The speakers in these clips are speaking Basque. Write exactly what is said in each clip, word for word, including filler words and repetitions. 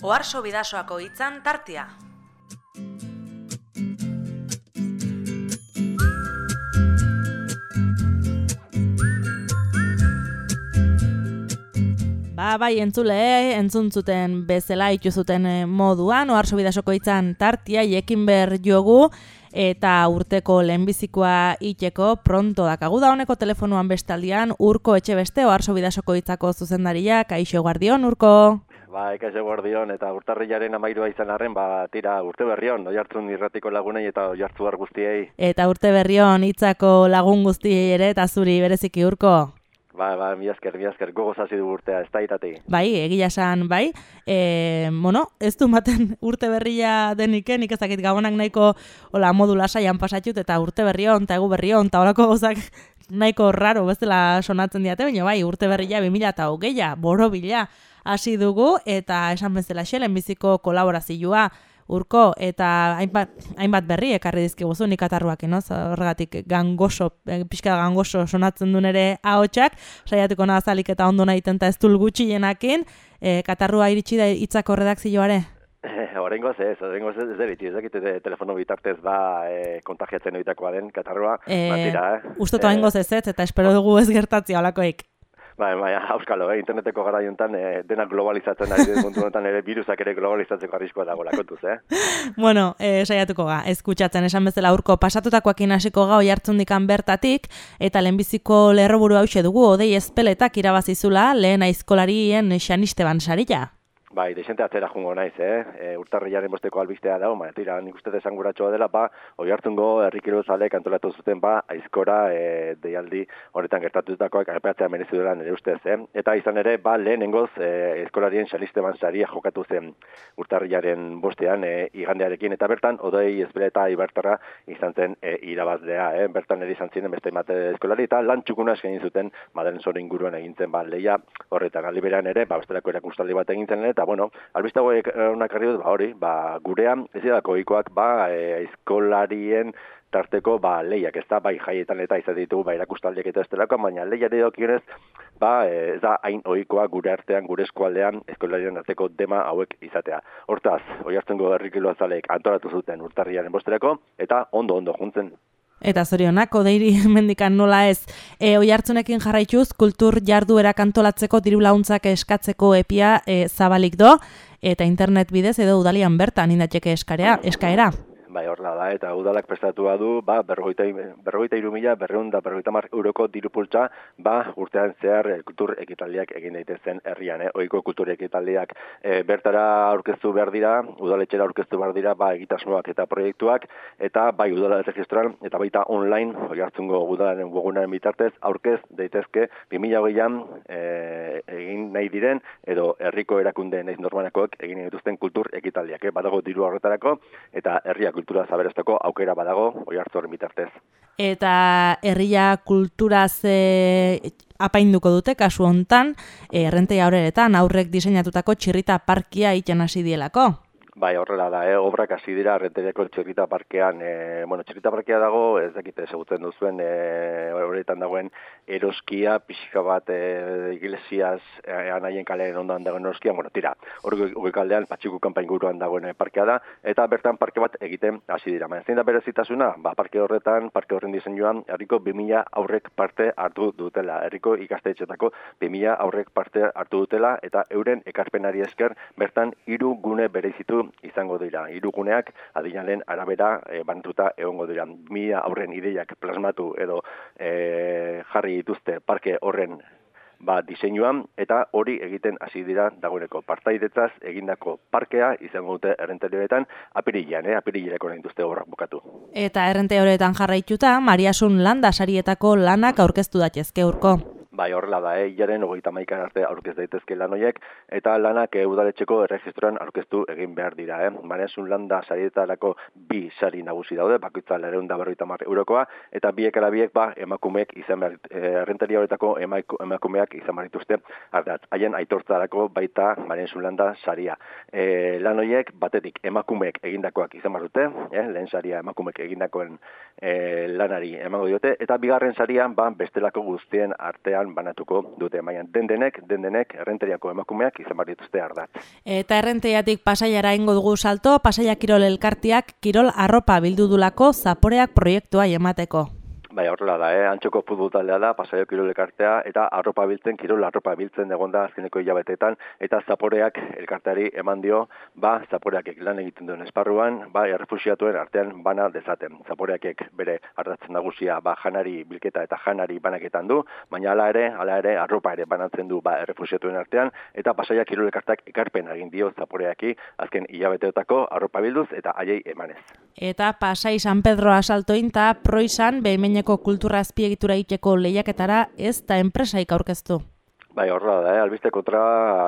Oharso Bidasoako hitzan tartea. Ba, bai, entzule, entzun zuten bezala ituzuten moduan, Oharso Bidasoko hitzan tartea, jekin ber jogu, eta urteko lehenbizikoa itxeko pronto dakagu da honeko telefonuan bestaldian, Urko Etxebeste, Oharso Bidasoko hitzako zuzendaria, kaixo guardion, Urko. Ba, ekaixo guardion, eta urtarrilaren amairua izan arren, ba, tira, urte berrion, Oiartzun irratiko lagunei eta Oiartzuar guztiei. Eta urte berrion hitzako lagun guztiei ere, eta zuri bereziki, Urko. Ba, ba, mi esker, mi esker, gogoz hasi du urtea, ez da irati. Bai, egia esan, bai. E, bueno, ez du maten urte berria deniken, nik ezakit gabonak nahiko hola, modu lasaian pasatxut, eta urte berrion, eta egu berrion, eta horako gauzak nahiko raro bezala sonatzen diate, baina bai, urte berria bi mila eta hogeia, borobila hasi dugu, eta esan bezala xelen biziko kolaborazioa, Urko, eta hainbat, hainbat berri ekarri dizkiguzu nik atarruak, no? Horregatik gangoso, pixka gangoso sonatzen duen ere ahotsak, saiatuko nazalik eta ondo nahiten eta ez dul gutxienakin, e, katarrua iritsi da hitzako redakzioare? Horrengoz ez, horrengoz ez deritzi, ez dakit telefono bitartez ba e, kontagiatzen oitakoa den katarrua, e, matira, eh? Ustoto hengoz ez ez, eta espero dugu ez gertatzea olakoik. Bai, bai, auskalo, eh? Interneteko gara jontan, eh, denak globalizatzen ari den mundu honetan ere virusak ere globalizatzeko arriskoa dago lakotuz, eh? Bueno, eh, saiatuko ga, eskutsatzen esan bezala Urko pasatutakoakin hasiko ga Oiartzundikan bertatik, eta lehenbiziko lerroburu hause dugu, Odei Ezpeletak irabazizula lehen aizkolarien Xanisteban saria. Bai, desente atzera jungo naiz, eh? E, urtarrilaren bosteko albistea dago, baina tira, nik uste desanguratxoa dela, ba, Oiartzungo herrikiro zaleek antolatu zuten, ba, aizkora e, deialdi horretan gertatutakoak aipatzea merezi dela nire ustez, eh? Eta izan ere, ba, lehenengoz, e, aizkolarien Xanisteban saria jokatu zen urtarrilaren bostean, e, igandearekin, eta bertan, Odei Ezpeleta Ibartarra izan zen e, irabazlea, eh? Bertan ere izan ziren beste mate eskolari, eta lan txukuna eskaini zuten, Madelen Soro inguruan egintzen, ba, leia horretan, aliberan ere, ba, bestelako erakustaldi bat egintzen, eta bueno, albiste hauek honak arri dut, ba, hori, ba, gurean, ez didako ohikoak, ba, e, aizkolarien tarteko, ba, lehiak, ez da, bai, jaietan eta izan ditugu, ba, erakustaldiak eta ez delako, baina lehiari dokionez, ba, e, ez da, hain ohikoa gure artean, gure eskualdean, aizkolarien arteko dema hauek izatea. Hortaz, Oiartzungo herrikilo azaleek antolatu zuten urtarriaren bosterako, eta ondo-ondo juntzen. Eta zorionak, Odeiri mendikan nola ez, e, Oiartzunekin jarraituz, kultur jarduerak antolatzeko diru laguntzak eskatzeko epia e, zabalik do, eta internet bidez edo udalian bertan indatxeke eskarea, eskaera. Bai, horrela da, eta udalak prestatua du, ba, berrogeita hiru mila, berreun da berrogeita hamar euroko dirupultza, ba, urtean zehar e, kultur ekitaldiak egin daitezen herrian, eh? Ohiko kultur ekitaldiak e, bertara aurkeztu behar dira, udaletxera aurkeztu behar dira, ba, egitasmoak eta proiektuak, eta bai, udala erregistroan, eta baita online, Oiartzungo udalaren webgunaren bitartez, aurkez daitezke bi mila hogeian e, egin nahi diren, edo herriko erakunde naiz normanakoek egin dituzten kultur ekitaldiak, eh? Badago diru horretarako, eta herriak kultura zaberestako aukera badago Oiartzuaren bitartez. Eta herria kulturaz e, apainduko dute kasu hontan, errentei aurreretan aurrek diseinatutako txirrita parkia egiten hasi dielako. Bai, horrela da, eh? Obrak hasi dira Errenteriako txirrita parkean, e, bueno, txirrita parkea dago, ez dakite ezagutzen duzuen, e, horretan dagoen eroskia, pixka bat e, iglesiaz, e, anaien kalearen ondoan dagoen eroskia, bueno, tira, hori kaldean, Patxiku kanpa inguruan dagoen parkea da, eta bertan parke bat egiten hasi dira. Baina zein da berezitasuna, ba, parke horretan, parke horren diseinuan, herriko bi mila aurrek parte hartu dutela, herriko ikastetxetako bi mila aurrek parte hartu dutela, eta euren ekarpenari esker, bertan hiru gune bereizitu izango dira. Hiru guneak adinalen arabera e, banatuta egongo dira. Mila aurren ideiak plasmatu edo e, jarri dituzte parke horren ba, diseinuan, eta hori egiten hasi dira dagoeneko. Partaidetzaz egindako parkea izango dute errenterioetan apirilean, eh? Apirileko nahi dituzte obrak bukatu. Eta errenterioetan jarraituta, Mariasun landa sarietako lanak aurkeztu datezke Urko. Bai, horrela da, eh? Ilaren hogeita hamaika arte aurkez daitezke lan horiek, eta lanak e, udaletxeko erregistroan aurkeztu egin behar dira. Eh? Mariasun landa sarietarako bi sari nagusi daude, bakoitza laurehun eta berrogeita hamar eurokoa, eta biek ala biek ba, emakumeek izan behar, errenteria horretako emakumeak izan behar dituzte ardatz. Haien aitortzarako baita Mariasun landa saria. E, lan horiek batetik emakumeek egindakoak izan behar dute, eh? Lehen saria emakumeek egindakoen e, lanari emango diote, eta bigarren sarian ba, bestelako guztien artean artean banatuko dute. Baina den denek, den denek, errenteriako emakumeak izan behar dituzte ardatz. Eta errenteriatik Pasaiara ingo dugu salto, Pasaia Kirol Elkarteak kirol arropa bildu dulako zaporeak proiektua emateko. Bai, horrela da, eh? Antxoko futbol taldea da, Pasaia Kirol Elkartea, eta arropa biltzen, kirol arropa biltzen egonda azkeneko hilabeteetan, eta zaporeak elkarteari eman dio, ba, zaporeak lan egiten duen esparruan, ba, errefuxiatuen artean bana dezaten. Zaporeak bere ardatzen nagusia, ba, janari bilketa eta janari banaketan du, baina hala ere, hala ere, arropa ere banatzen du, ba, errefuxiatuen artean, eta Pasaia Kirol Elkarteak ekarpen egin dio zaporeaki, azken hilabeteotako arropa bilduz eta haiei emanez. Eta Pasai San Pedro asaltoin eta proizan behimeneko kultura azpiegitura egiteko lehiaketara ez da enpresaik aurkeztu. Bai, horra da, eh? Albiste kontra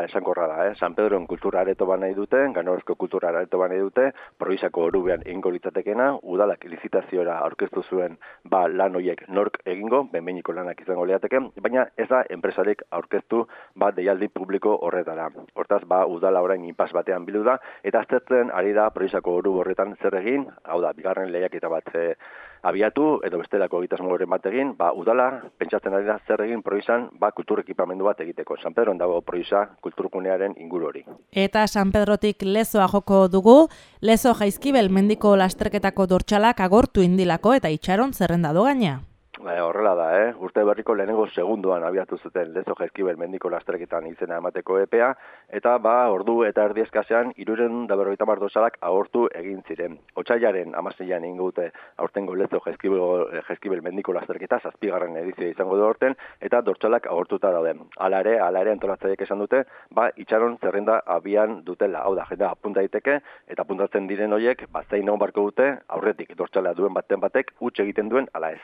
esankorra da, eh? San Pedroen kultura areto ban nahi dute, Ganorozko kultura areto ban nahi dute, Proizako orubean egingo litzatekena, udalak lizitazioa aurkeztu zuen ba lan hoiek nork egingo, benbeiniko lanak izango liateke, baina ez da enpresarik aurkeztu ba deialdi publiko horretara. Hortaz, ba udala orain inpas batean bildu da, eta aztertzen ari da Proizako oru horretan zer egin, hau da, bigarren lehiaketa bat e, abiatu, edo bestelako egitasmoren bat egin, ba udala pentsatzen ari da zer egin Proizan, ba kultur ekipamendu bat egiteko. San Pedron dago Proiza kulturgunearen inguru hori. Eta San Pedrotik Lezoa joko dugu, Lezo Jaizkibel mendiko lasterketako dortxalak agortu indilako eta itxaron zerrenda do gaina. Ba, horrela da, eh? Urte berriko lehenengo segunduan abiatu zuten Lezo Jaizkibel mendiko lasterketan izena emateko epea, eta ba, ordu eta erdi eskasean hirurehun eta berrogeita hamar dortxalak agortu egin ziren. Otsailaren hamaseian egingo dute aurtengo Lezo Jaizkibel, Jaizkibel mendiko lasterketa, zazpigarren edizioa izango du aurten, eta dortxalak agortuta daude. Hala ere, hala ere antolatzaileek esan dute, ba, itxaron zerrenda abian dutela. Hau da, jendea apunta daiteke, eta apuntatzen diren horiek, ba, zein egon barko dute, aurretik dortxala duen baten batek, huts egiten duen, ala ez.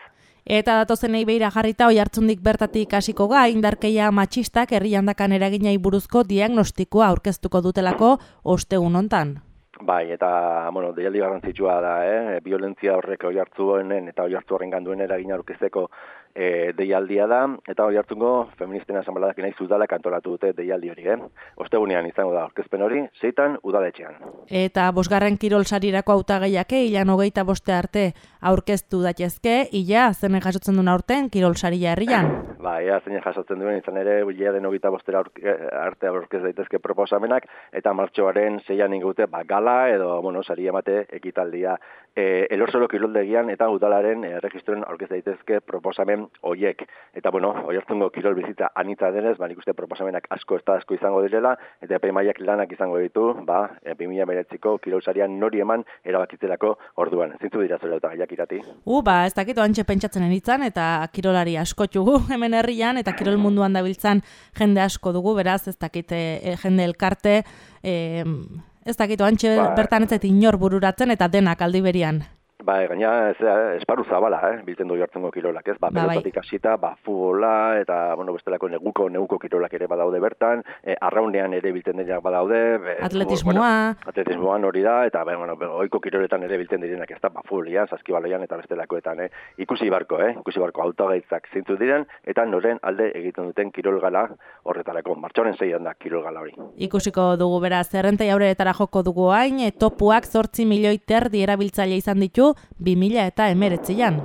Eta datozenei beira jarrita Oiartzundik bertatik hasiko ga, indarkeria matxistak herriandakan eraginai buruzko diagnostikoa aurkeztuko dutelako ostegun hontan. Bai, eta, bueno, deialdi garrantzitsua da, eh? Violentzia horrek Oiartzunen eta Oiartzu horrengan duen eragina aurkezteko e, deialdia da, eta Oiartzungo feministen asanbladak nahi udalak antolatu dute deialdi hori, eh? Ostegunean izango da aurkezpen hori, zeitan udaletxean. Eta bosgarren kirol sarirako hautagaiake ilan hogeita boste arte aurkeztu daitezke, ila zenen jasotzen duen aurten kirol saria herrian. Ba, ea zenen jasotzen duen, izan ere, hilaren hogeita bostera arte aurkez daitezke proposamenak, eta martxoaren zeian ingute, ba, gala edo, bueno, sari emate ekitaldia. E, Elorsolo kiroldegian eta udalaren e, registroen aurkez daitezke proposamen hoiek. Eta, bueno, Oiartzungo kirol bizitza anitza denez, ba, nik uste proposamenak asko ez da asko izango direla, eta epaimaiak lanak izango ditu, ba, bi mila hemeretziko kirol sarian nori eman erabakitzelako orduan. Zintzu dira zure eta gaiak irati? U, ba, ez dakit oantxe pentsatzen enitzan, eta kirolari asko txugu hemen herrian, eta kirol munduan dabiltzan jende asko dugu, beraz, ez dakit e, jende elkarte, e, ez dakit oantxe ba, bertan ez inor bururatzen, eta denak aldi berian. Ba, gaina, ez, esparru zabala, eh, biltzen du Oiartzungo kirolak, ez? Ba, ba pelotatik hasita, ba, futbola, eta, bueno, bestelako neguko, neguko kirolak ere badaude bertan, e, arraunean ere biltzen direnak badaude. Be, atletismoa. Bueno, atletismoan hori da, eta, be, bueno, oiko kiroletan ere biltzen direnak, ez da, ba, futbolian, saskibaloian, eta bestelakoetan, eh? Ikusi barko, eh? Ikusi barko hautagaitzak zintu diren, eta noren alde egiten duten kirolgala horretarako. Martxoaren zeian da kirolgala hori. Ikusiko dugu beraz, errentai aureretara joko dugu hain, topuak zortzi milioi terdi erabiltzaile izan ditu, bi mila eta hemeretzian.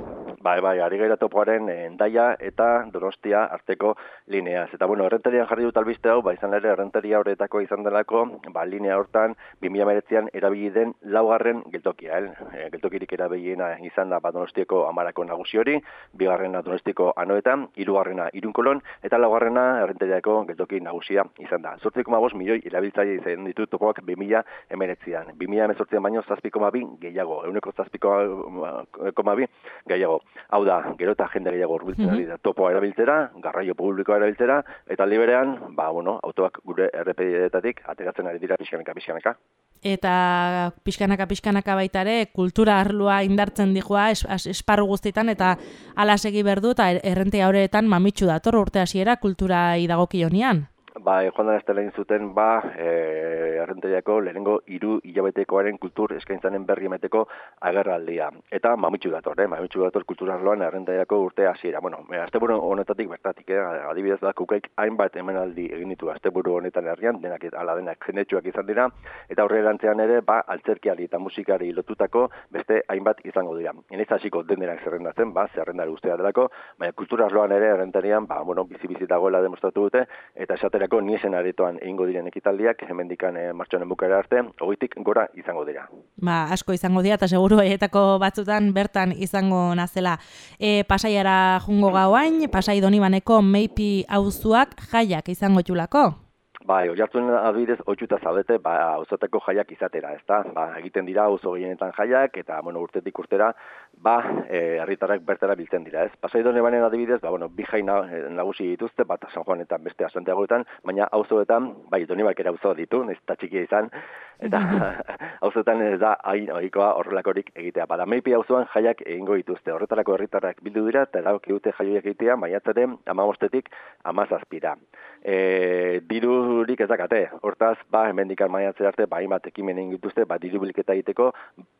Bai, bai, ari gaira topoaren Hendaia eta Donostia arteko lineaz. Eta, bueno, errenterian jarri dut albiste hau, ba, izan ere, errenteria horretako izan delako, ba, linea hortan, bi mila hemeretzian erabili den laugarren geltokia, el? E, geltokirik erabiliena izan da, ba, Donostiako amarako nagusi hori, bigarrena Donostiako anoetan, hirugarrena Irunkolon, eta laugarrena errenteriako geltoki nagusia izan da. zortzi koma bost milioi erabiltzaile izan ditu topoak bi mila hemeretzian. bi mila hemezortzian baino zazpi koma bi gehiago, ehuneko zazpi koma bi gehiago. Hau da, gero eta jende gehiago urbiltzen ari da topoa erabiltzera, garraio publikoa erabiltzera, eta liberean, ba, bueno, autoak gure errepideetatik ateratzen ari dira pixkanaka, pixkanaka. Eta pixkanaka, pixkanaka baitare, kultura arlua indartzen dijoa es, es, esparru guztietan, eta ala segi berdu, eta errentea horretan mamitsu dator urte hasiera kultura idagokionean. ba, joan da estela zuten, ba, e, Errenteriako lehenengo hiru hilabetekoaren kultur eskaintzanen berri emateko agerraldia. Eta mamitsu dator, eh? mamitsu dator kulturarloan Errenteriako urte hasiera. Bueno, asteburu honetatik bertatik, eh? adibidez da, kukaik hainbat emanaldi egin ditu asteburu honetan herrian, denak ala denak jendetsuak izan dira, eta aurrerantzean ere, ba, altzerkiari eta musikari lotutako beste hainbat izango dira. Enez hasiko den denak zerrendatzen, ba, zerrendari ustea delako, baina kulturarloan ere Errenterian, ba, bueno, bizi-bizi dagoela demostratu dute, eta esaterako niesen aretoan egingo diren ekitaldiak, hemendikan e, martxoaren bukara arte, hogeitik gora izango dira. Ba, asko izango dira, eta seguru haietako batzutan bertan izango nazela. E, Pasaiara jungo gauain, Pasai Donibaneko Meipi auzuak jaiak izango txulako? Bai, oihartzun adibidez, ohituta zaudete, ba, auzotako jaiak izatera, ezta? Ba, egiten dira auzo gehienetan jaiak, eta, bueno, urtetik urtera, ba, e, herritarrak bertara biltzen dira, ez? Pasai Donibanen adibidez, ba, bueno, bi jai nagusi dituzte, bat San Juanetan, beste Santiagoetan, baina auzoetan, bai, Donibak ere auzo ditu, ez da txikia izan, eta auzoetan ez da hain ohikoa horrelakorik egitea. Bada, Meipi auzoan jaiak egingo dituzte, horretarako herritarrak bildu dira, eta erabaki dute jaioiak egitea, maiatzaren hamabostetik hamazazpira. E, dirurik ez dakate, hortaz, ba, hemendikan maiatzera arte, ba, hainbat ekimen egin dituzte, ba, diru bilketa egiteko,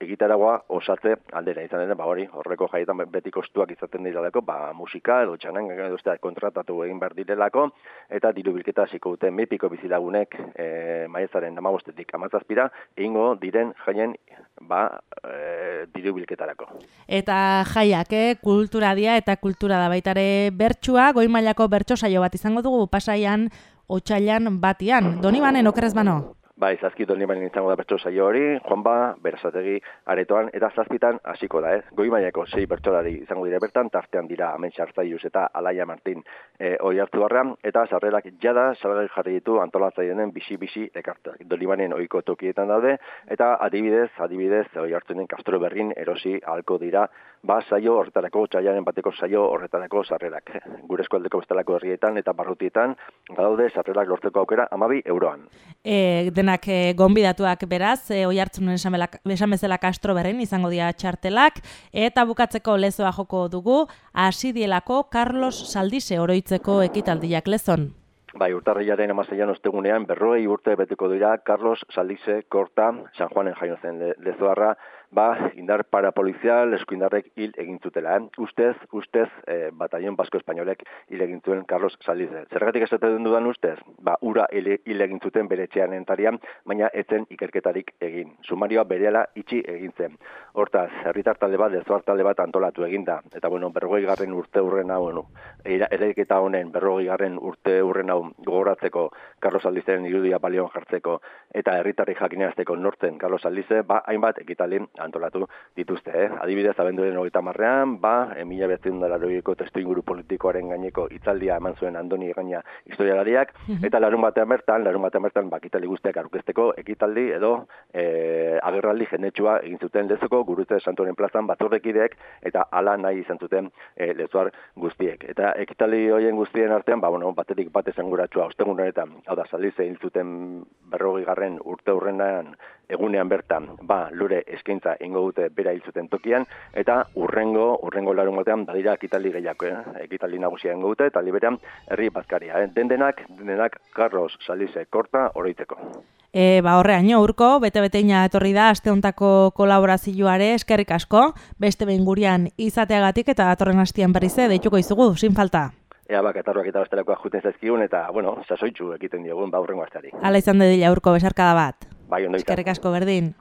egitaragoa osatze aldera izan dena, ba, hori, horreko jaietan beti kostuak izaten direlako, ba, musika, edo txanan, edo kontratatu egin behar direlako, eta diru bilketa hasiko dute Meipiko bizilagunek e, maiatzaren hamabostetik hamazazpira, egingo diren jaien, ba, e, diru bilketarako. Eta jaiak, eh, kultura dia eta kultura da baitare bertsua, goi mailako bertso saio bat izango dugu Pasaian, otsailan batian. Donibanen okerrez bano? Bai, zazki Donibanen izango da bertso saio hori, Juanba, Berazategi aretoan, eta zazpitan hasiko da, eh? Goi mailako sei bertsolari izango dira bertan, tartean dira Amen Sartzaiuz eta Alaia Martin e, Oiartzuarra, eta sarrerak jada salgai jarri ditu antolatzaileen bisi-bisi ekartak. Donibanen ohiko tokietan daude, eta adibidez, adibidez, Oiartzunen Castro Berrin erosi ahalko dira, ba, saio horretarako, otsailaren bateko saio horretarako sarrerak. Gure eskualdeko bestelako herrietan eta barrutietan, badaude sarrerak lortzeko aukera hamabi euroan. E, denak e, gonbidatuak beraz, e, Oiartzunen esan bezala Castro Berrin izango dira txartelak, eta bukatzeko lezoa joko dugu, hasi dielako Carlos Saldize oroitzeko ekitaldiak lezon. Bai, urtarrilaren hamaseian ostegunean berrogei urte beteko dira Carlos Saldize Korta, San Juanen jaio zen le, lezoarra, ba, indar parapolizial eskuindarrek hil egin zutela. Eh? Ustez, ustez, eh, batallon basko espainolek hil egin zuen Carlos Saldize. Zergatik esaten dudan ustez? Ba, ura hil egin zuten bere etxean entarian, baina etzen ikerketarik egin. Sumarioa berehala itxi egin zen. Hortaz, herritar talde bat, lezoar talde bat antolatu eginda. Eta, bueno, berrogei garren urte urren hau, bueno, eraiketa honen berrogei garren urte urren hau gogoratzeko, Carlos Saldizeren irudia balioan jartzeko, eta herritarri jakineazteko nortzen Carlos Saldize, ba, hainbat ekitalin antolatu dituzte. Eh? Adibidez, abenduaren hogeita hamarrean, ba, mila bederatziehun eta laurogeiko testu inguru politikoaren gaineko hitzaldia eman zuen Andoni Egaña historialariak, eta larun batean bertan, larun batean bertan, ba, ekitaldi guztiak aurkezteko ekitaldi edo e, agerraldi jendetsua egin zuten lezoko gurutze Santuaren plazan batzordekideek, eta hala nahi izan zuten e, lezoar guztiek. Eta ekitaldi horien guztien artean, ba, bueno, batetik bat esanguratsua ostegun honetan, hau da, Saldize hil zuten berrogei garren urte hurrenean egunean bertan, ba, lure eskaintza ingo dute bera hil zuten tokian, eta urrengo, urrengo larun batean badira ekitaldi gehiago, eh? ekitaldi nagusia ingo dute, eta liberan herri bazkaria. Eh? Den denak, den denak Carlos Saldize Korta oroitzeko. E, ba, horreaino, urko, bete-beteina etorri da, aste hontako kolaborazioare, eskerrik asko, beste behin gurean izateagatik, eta datorren hastian berriz deituko izugu, sin falta. Ea bak, etarroak eta bestelakoak juten zaizkigun, eta, bueno, sasoitzu egiten diogun, ba, urrengo asteari. Hala izan dedila, urko, besarkada bat. Bai, ondo izan. Eskerrik asko, berdin.